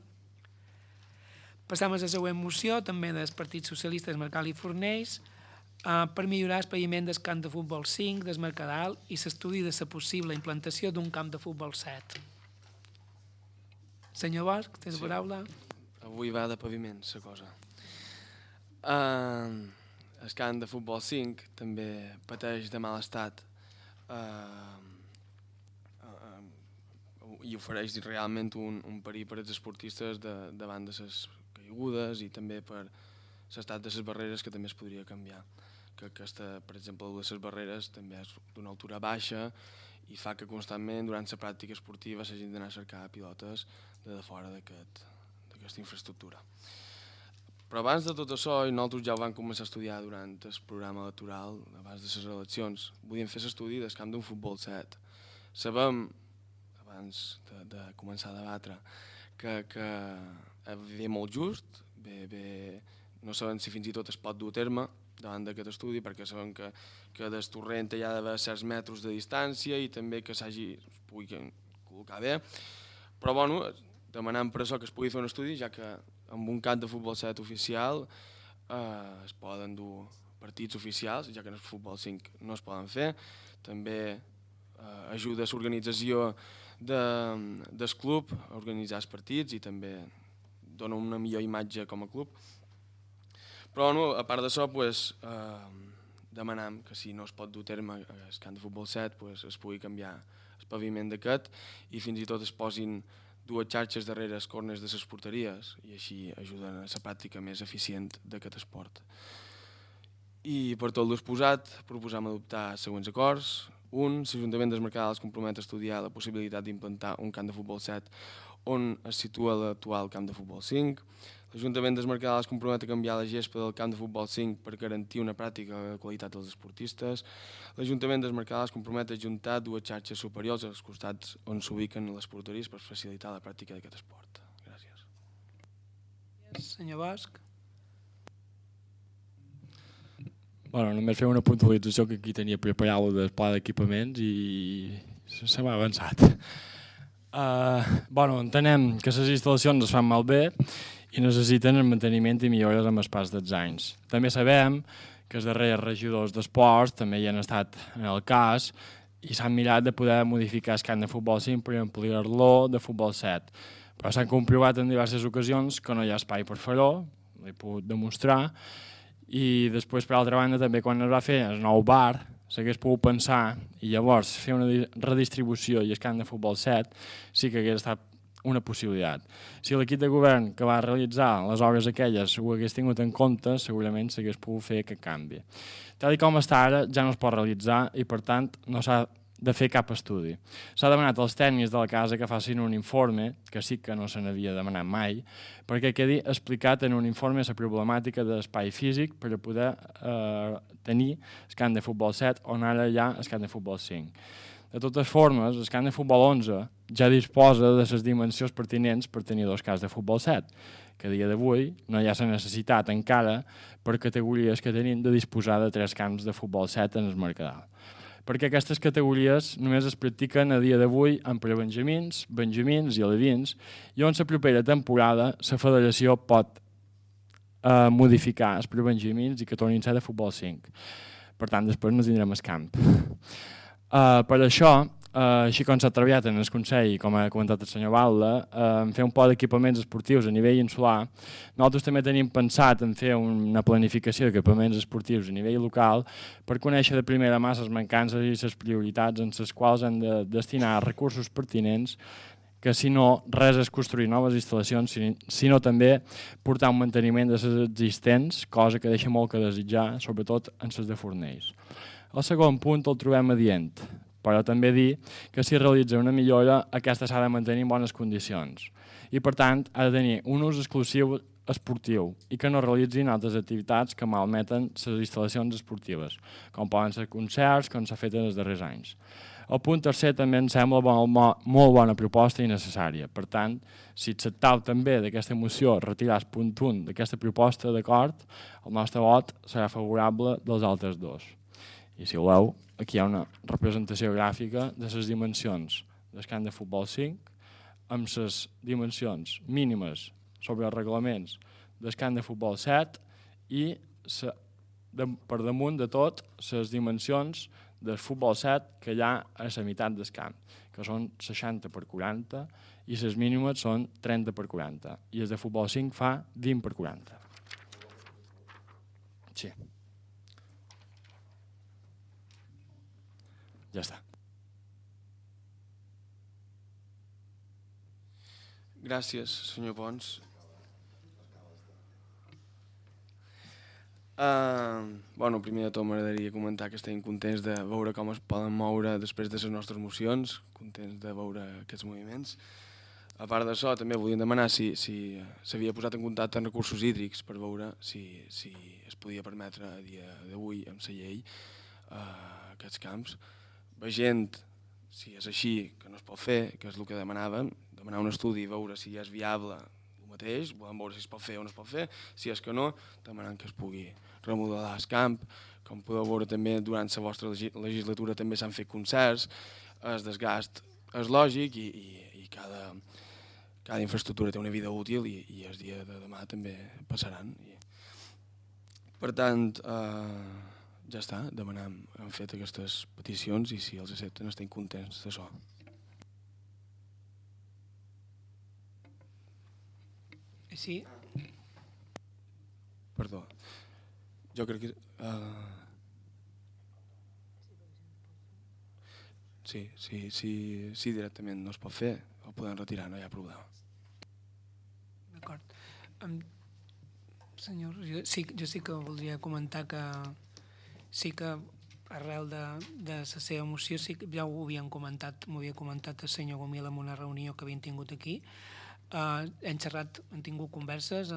Passam a la següent moció, també del Partit Socialista, Mercadal i Fornells, per millorar el paviment del camp de futbol 5 del Mercadal i l'estudi de la possible implantació d'un camp de futbol 7. Senyor Bosch, tens la paraula? Avui va de paviment, la cosa. El camp de futbol 5 també pateix de mal estat i ofereix realment un perill per als esportistes davant de les caigudes i també per l'estat de les barreres, que també es podria canviar. Que aquesta, per exemple, de les barreres també és d'una altura baixa i fa que constantment durant la pràctica esportiva s'hagin d'anar a cercar pilotes de fora d'aquesta infraestructura. Però abans de tot això, i nosaltres ja ho vam començar a estudiar durant el programa electoral, abans de les eleccions, volíem fer l'estudi del camp d'un futbol 7. Sabem, abans de començar a debatre, que ve molt just, no sabem si fins i tot es pot dur a terme davant d'aquest estudi, perquè sabem que del torrent hi ha d'haver certs metres de distància i també que es pugui col·locar bé. Però bueno, demanem per això que es pugui fer un estudi, ja que amb un camp de futbol 7 oficial es poden dur partits oficials, ja que en el futbol 5 no es poden fer. També ajuda a l'organització del club a organitzar els partits i també dona una millor imatge com a club. Però a part d'això, demanem que si no es pot dur a terme el camp de futbol 7 es pugui canviar el paviment d'aquest i fins i tot es posin dues xarxes darrere els corners de les porteries i així ajuden a la pràctica més eficient d'aquest esport. I per tot l'exposat proposam adoptar els següents acords. 1. L'Ajuntament del Mercadal es compromet a estudiar la possibilitat d'implantar un camp de futbol 7 on es situa l'actual camp de futbol 5. L'Ajuntament del Mercadal es compromet a canviar la gespa del camp de futbol 5 per garantir una pràctica de qualitat dels esportistes. L'Ajuntament del Mercadal es compromet a ajuntar dues xarxes superiors als costats on s'ubiquen les porteries per facilitar la pràctica d'aquest esport. Gràcies. Senyor Bosch. Bueno, només fer una puntualització, que aquí tenia preparat el pla d'equipaments i se m'ha avançat. Entenem que les instal·lacions es fan malbé i necessiten el manteniment i millores amb el pas dels anys. També sabem que els darrers regidors d'esports també hi han estat en el cas i s'han mirat de poder modificar el camp de futbol 5 per ampliar-lo de futbol 7. Però s'han comprovat en diverses ocasions que no hi ha espai per fer-ho, l'he pogut demostrar, i després, per altra banda, també quan es va fer el nou bar, s'hagués pogut pensar i llavors fer una redistribució i el camp de futbol 7 sí que hagués estat una possibilitat. Si l'equip de govern que va realitzar les obres aquelles ho hagués tingut en compte, segurament s'hagués pogut fer aquest canvi. Tal com està ara, ja no es pot realitzar i, per tant, no s'ha de fer cap estudi. S'ha demanat als tècnics de la casa que facin un informe, que sí que no se n'havia demanat mai, perquè quedi explicat en un informe la problemàtica de l'espai físic per a poder tenir el camp de futbol 7 on ara hi ha el camp de futbol 5. De totes formes, el camp de futbol 11 ja disposa de les dimensions pertinents per tenir dos camps de futbol 7, que a dia d'avui no hi ha la necessitat encara per categories que tenim de disposar de 3 camps de futbol 7 en el Mercadal. Perquè aquestes categories només es practiquen a dia d'avui en prebenjamins, benjamins i alevins, i on la propera temporada la federació pot modificar els prebenjamins i que tornin a ser de futbol 5. Per tant, després no tindrem el camp. Per això, així com s'ha treballat en el Consell, com ha comentat el senyor Balda, en fer un pla d'equipaments esportius a nivell insular, nosaltres també tenim pensat en fer una planificació d'equipaments esportius a nivell local per conèixer de primera mà les mancances i les prioritats en les quals han de destinar recursos pertinents, que si no, res és construir noves instal·lacions, sinó també portar un manteniment de les existents, cosa que deixa molt que desitjar, sobretot en les de Fornells. El segon punt el trobem adient, però també dir que si realitza una millora, aquesta s'ha de mantenir en bones condicions i, per tant, ha de tenir un ús exclusiu esportiu i que no realitzin altres activitats que malmeten les instal·lacions esportives, com poden ser concerts, com s'ha fet en els darrers anys. El punt tercer també em sembla molt bona proposta i necessària. Per tant, si acceptau també d'aquesta moció retirar el punt 1 d'aquesta proposta d'acord, el nostre vot serà favorable dels altres dos. I si voleu, aquí hi ha una representació gràfica de les dimensions del camp de futbol 5 amb les dimensions mínimes sobre els reglaments del camp de futbol 7 i per damunt de tot les dimensions del futbol 7 que hi ha a la meitat del camp, que són 60 per 40, i les mínimes són 30 per 40, i el de futbol 5 fa 20 per 40. Sí. Ja està. Gràcies, senyor Pons. Primer de tot m'agradaria comentar que estem contents de veure com es poden moure després de les nostres mocions, contents de veure aquests moviments. A part d'això, també volíem demanar si s'havia posat en contacte amb recursos hídrics per veure si es podia permetre a dia d'avui amb la llei aquests camps. Veient si és així, que no es pot fer, que és el que demanàvem, demanar un estudi i veure si és viable el mateix, volem veure si es pot fer o no es pot fer, si és que no, demanant que es pugui remodelar el camp. Com podeu veure també durant la vostra legislatura també s'han fet concerts, el desgast és lògic i cada infraestructura té una vida útil i el dia de demà també passaran. Per tant, ja està, hem fet aquestes peticions i si els accepten estem contents d'això. Sí. Perdó. Jo crec que... Sí, directament no es pot fer, ho podem retirar, no hi ha problema. D'acord. Senyor, jo sí que voldria comentar que sí que arrel de la seva moció ja ho havien comentat, m'ho havia comentat el senyor Gomil en una reunió que havien tingut aquí. Hem tingut converses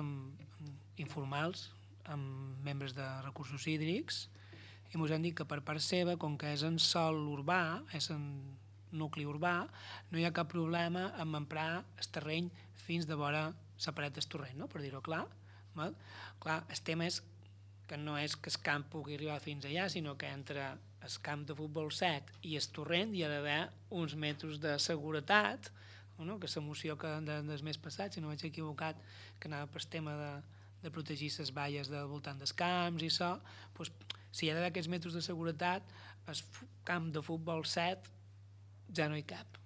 informals amb membres de recursos hídrics i ens han dit que per part seva, com que és en sòl urbà, és en nucli urbà, no hi ha cap problema en emprar el terreny fins de vora la paret del torrent, no? Per dir-ho clar. Clar, el tema és que no és que el camp pugui arribar fins allà, sinó que entre el camp de futbol 7 i el torrent hi ha d'haver uns metres de seguretat, no? Que la moció del mes passat, si no vaig equivocat, que anava per tema de protegir les valles del voltant dels camps i això, doncs, si hi ha d'haver aquests metres de seguretat, el camp de futbol 7 ja no hi cap,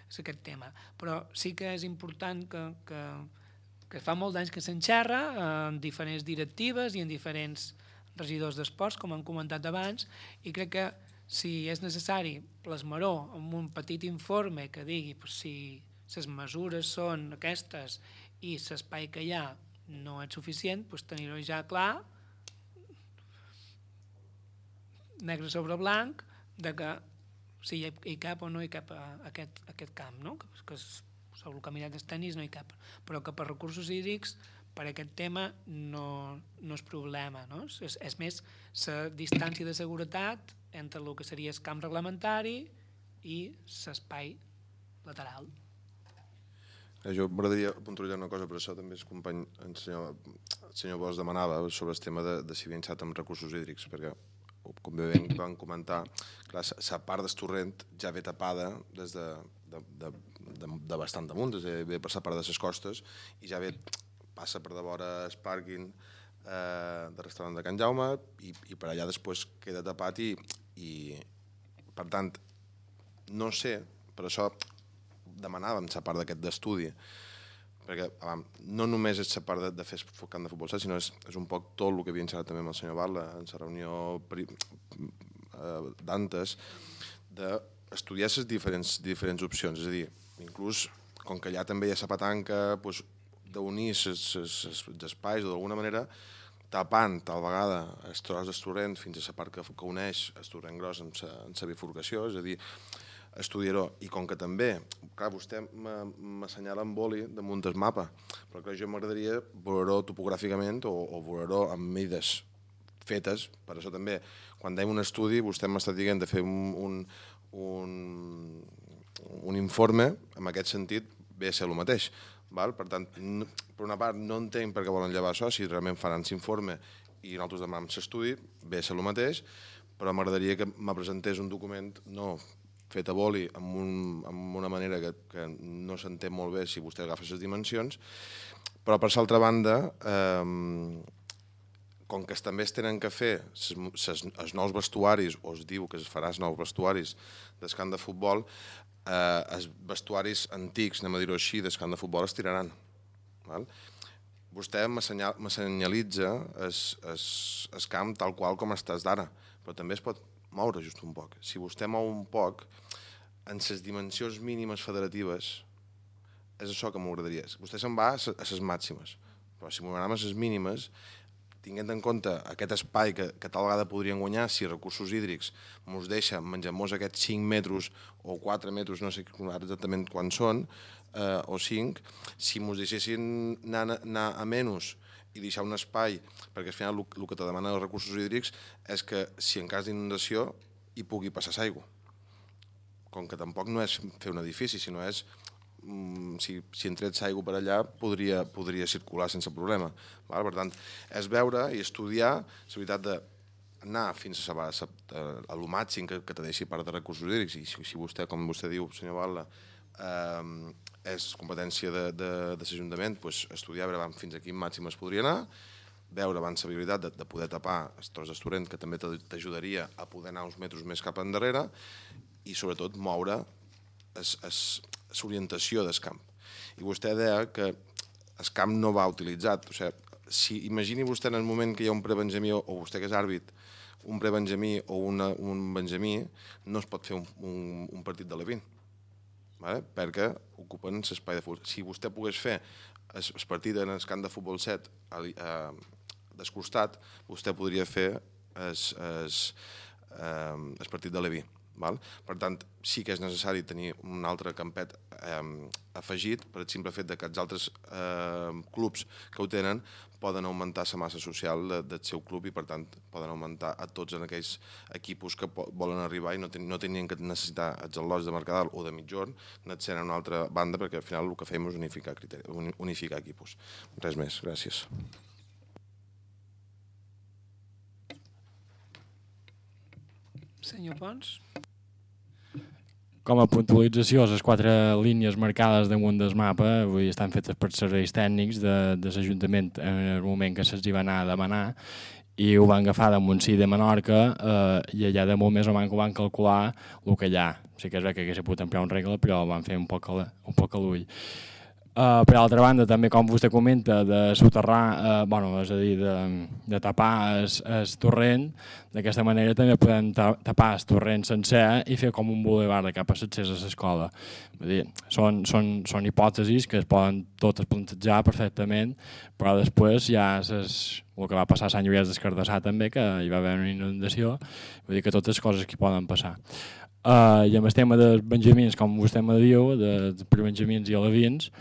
és aquest tema. Però sí que és important que fa molt d'anys que s'enxerra en diferents directives i en diferents regidors d'esports, com han comentat abans, i crec que si és necessari plasmar-ho amb un petit informe que digui si les mesures són aquestes i l'espai que hi ha no és suficient, tenir-ho ja clar, negre sobre blanc, de que si hi cap o no hi cap aquest camp, no? Que sobre el caminat dels tenis no hi cap, però que per recursos hídrics per aquest tema no és problema, no? És més la distància de seguretat entre el que seria el camp reglamentari i l'espai lateral. Jo m'agradaria puntualitzar una cosa, per això també el company, el senyor Bosch demanava sobre el tema de si havien estat amb recursos hídrics, perquè, com bé van comentar, la part del torrent ja ve tapada des de bastant damunt, ve per la part de les costes i ja ve, passa per de vora el pàrquing del restaurant de Can Jaume i per allà després queda tapat i per tant, no sé, per això demanàvem la part d'aquest d'estudi, perquè no només és la part de fer el camp de futbol, sinó és un poc tot el que havíem xerrat també amb el senyor Barla en la reunió d'antes, d'estudiar les diferents opcions, és a dir, inclús, com que allà també hi ha la petanca, d'unir els espais o d'alguna manera tapant tal vegada el tros del torrent fins a la part que uneix el torrent gros amb la bifurcació, és a dir, estudiar-ho. I com que també, clar, vostè m'assenyala amb boli damunt del mapa, però clar, jo m'agradaria veure-ho topogràficament o veure-ho amb mides fetes, per això també, quan dèiem un estudi, vostè m'està dient de fer un informe, en aquest sentit, ve a ser el mateix. Per tant, per una part, no entenc per què volen llevar això, si realment faran l'informe i nosaltres demanem l'estudi, ve a ser el mateix, però m'agradaria que me presentés un document no fet a boli amb una manera que no s'entén molt bé si vostè agafa les dimensions, però per l'altra banda, com que també es tenen que fer els nous vestuaris, o es diu que es farà els nous vestuaris del camp de futbol, els vestuaris antics, anem a dir-ho així, del camp de futbol es tiraran. Val? Vostè m'assenyalitza el camp tal qual com estàs d'ara, però també es pot moure just un poc. Si vostè mou un poc, en les dimensions mínimes federatives, és això que m'agradaria. Vostè se'n va a les màximes, però si m'ho anem a les mínimes, tinguent en compte aquest espai que tal vegada podrien guanyar si recursos hídrics ens deixa menjar-nos aquests 5 metres o 4 metres, no sé ara exactament quan són, o 5, si ens deixessin anar a menys i deixar un espai, perquè al final el que te demana els recursos hídrics és que si en cas d'inundació hi pugui passar l'aigua. Com que tampoc no és fer un edifici, sinó és si entrets aigua per allà podria circular sense problema. Per tant, és veure i estudiar la veritat d'anar fins a lo màxim que te deixi part de recursos hídrics, i si vostè, com vostè diu, senyor Batlle, és competència de l'Ajuntament, estudiar veure fins a quin màxim es podria anar, veure abans la viabilitat de poder tapar els tros d'estorrent, que també t'ajudaria a poder anar uns metres més cap endarrere, i sobretot moure l'orientació del camp. I vostè deia que el camp no va utilitzat. O sigui, si imagini vostè en el moment que hi ha un prebenjamí, o vostè que és àrbit, un prebenjamí o un benjamí, no es pot fer un partit de Levin, perquè ocupen l'espai de futbol. Si vostè pogués fer el partit en el camp de futbol 7 del costat, vostè podria fer el partit de Leví. Per tant, sí que és necessari tenir un altre campet afegit per el simple fet que els altres clubs que ho tenen poden augmentar la massa social del seu club i, per tant, poden augmentar a tots en aquells equipos que volen arribar i no tenien que necessitar els al·lots de Mercadal o de Mitjorn, anar-se'n a una altra banda, perquè al final el que fem és unificar equipos. Res més, gràcies. Senyor Pons? Com a puntualització, les 4 línies marcades damunt del mapa avui estan fetes per serveis tècnics de l'Ajuntament en el moment que se'ls va anar a demanar, i ho van agafar de Montsí de Menorca i allà de molt més o menys ho van calcular el que allà. Sí que és bé que hagués pogut emplear un regle, però ho van fer un poc a l'ull. Per altra banda, també com vostè comenta, de soterrar, és a dir, de tapar el torrent, d'aquesta manera també podem tapar el torrent sencer i fer com un bulevard de cap a l'accés a l'escola. Són hipòtesis que es poden totes plantejar perfectament, però després ja és el que va passar a Sant Lluís d'Escardassar també, que hi va haver una inundació, vull dir que totes coses que poden passar. I amb el tema dels benjamins, com vostè me diu, de prebenjamins i alevins,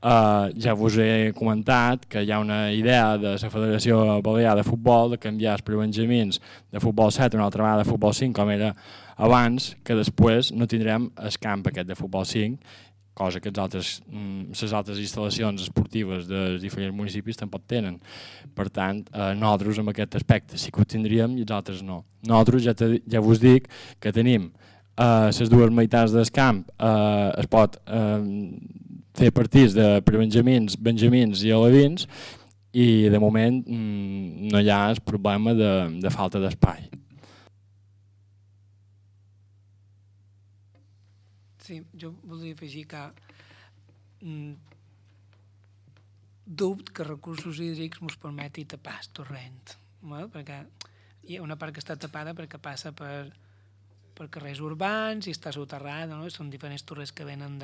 ja vos he comentat que hi ha una idea de la Federació Balear de Futbol de canviar els prebenjamins de futbol 7 a una altra vegada de futbol 5 com era abans, que després no tindrem el camp aquest de futbol 5, cosa que les altres instal·lacions esportives dels diferents municipis tampoc tenen. Per tant, nosaltres amb aquest aspecte sí que ho tindríem i els altres no. Nosaltres ja vos dic que tenim les dues meitats del camp, es pot fer partits de prebenjamins, benjamins i alevins, i de moment no hi ha el problema de falta d'espai. Sí, jo voldria afegir que dubte que recursos hídrics ens permeti tapar el torrent, perquè hi ha una part que està tapada perquè passa per carrers urbans i està soterrada, són diferents torres que venen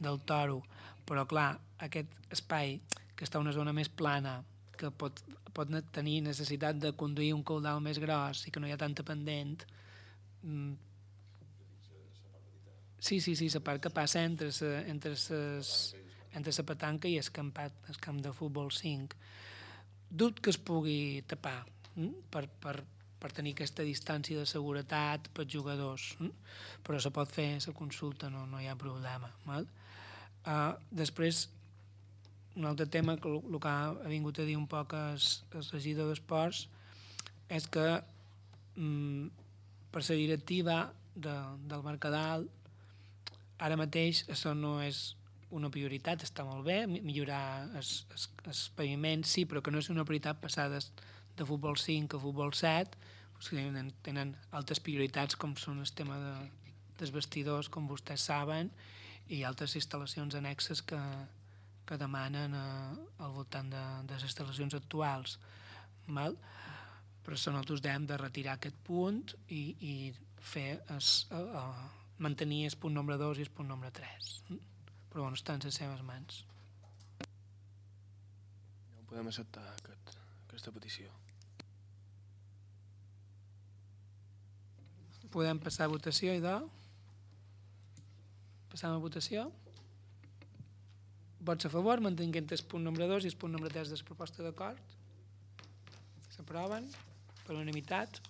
del Toro, però clar, aquest espai que està a una zona més plana, que pot tenir necessitat de conduir un caudal més gros i que no hi ha tanta pendent. Sí, la part que passa entre la petanca i el camp de futbol 5. Dubte que es pugui tapar per tenir aquesta distància de seguretat pels jugadors, però se pot fer la consulta, no hi ha problema. Després, un altre tema, que el que ha vingut a dir un poc el regidor d'Esports, és que per la directiva del Mercadal, ara mateix això no és una prioritat, està molt bé, millorar els paviments, sí, però que no és una prioritat passar de de futbol 5 a futbol 7, tenen altres prioritats com són el tema dels vestidors, com vostès saben, i altres instal·lacions annexes que demanen al voltant de les instal·lacions actuals. Val? Per això nosaltres hem de retirar aquest punt i mantenir el punt nombre 2 i el punt nombre 3. Però bueno, està en les seves mans. No podem acceptar aquesta petició. Podem passar a votació, idò? Passam a votació. Vots a favor, mantenint el punt nombre 2 i el punt nombre 3 de la proposta d'acord? S'aproven per unanimitat.